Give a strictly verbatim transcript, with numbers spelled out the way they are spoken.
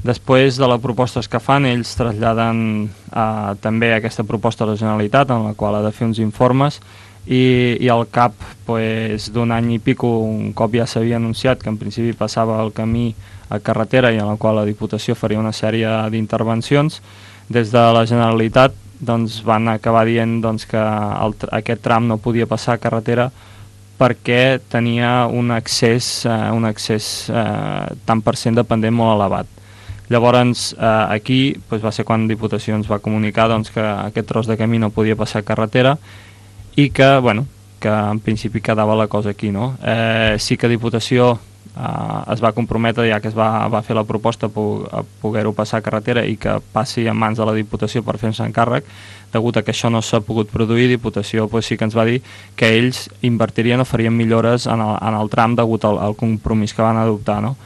Després de les propostes que fan, ells traslladen eh, també aquesta proposta a la Generalitat, en la qual ha de fer uns informes, i, i al cap pues, d'un any i pico, un cop ja s'havia anunciat que en principi passava el camí a carretera i en la qual la Diputació faria una sèrie d'intervencions, des de la Generalitat doncs, van acabar dient doncs, que el, aquest tram no podia passar a carretera perquè tenia un accés, eh, un accés eh, tant per cent dependent molt elevat. Llavors, eh, aquí doncs, va ser quan Diputació ens va comunicar doncs, que aquest tros de camí no podia passar a carretera i que, bueno, que en principi quedava la cosa aquí, no? Eh, sí que Diputació eh, es va comprometre, ja que es va, va fer la proposta a poder-ho passar a carretera i que passi en mans de la Diputació per fer-se encàrrec. Degut a que això no s'ha pogut produir, Diputació pues, sí que ens va dir que ells invertirien o farien millores en el, en el tram degut al, al compromís que van adoptar, no?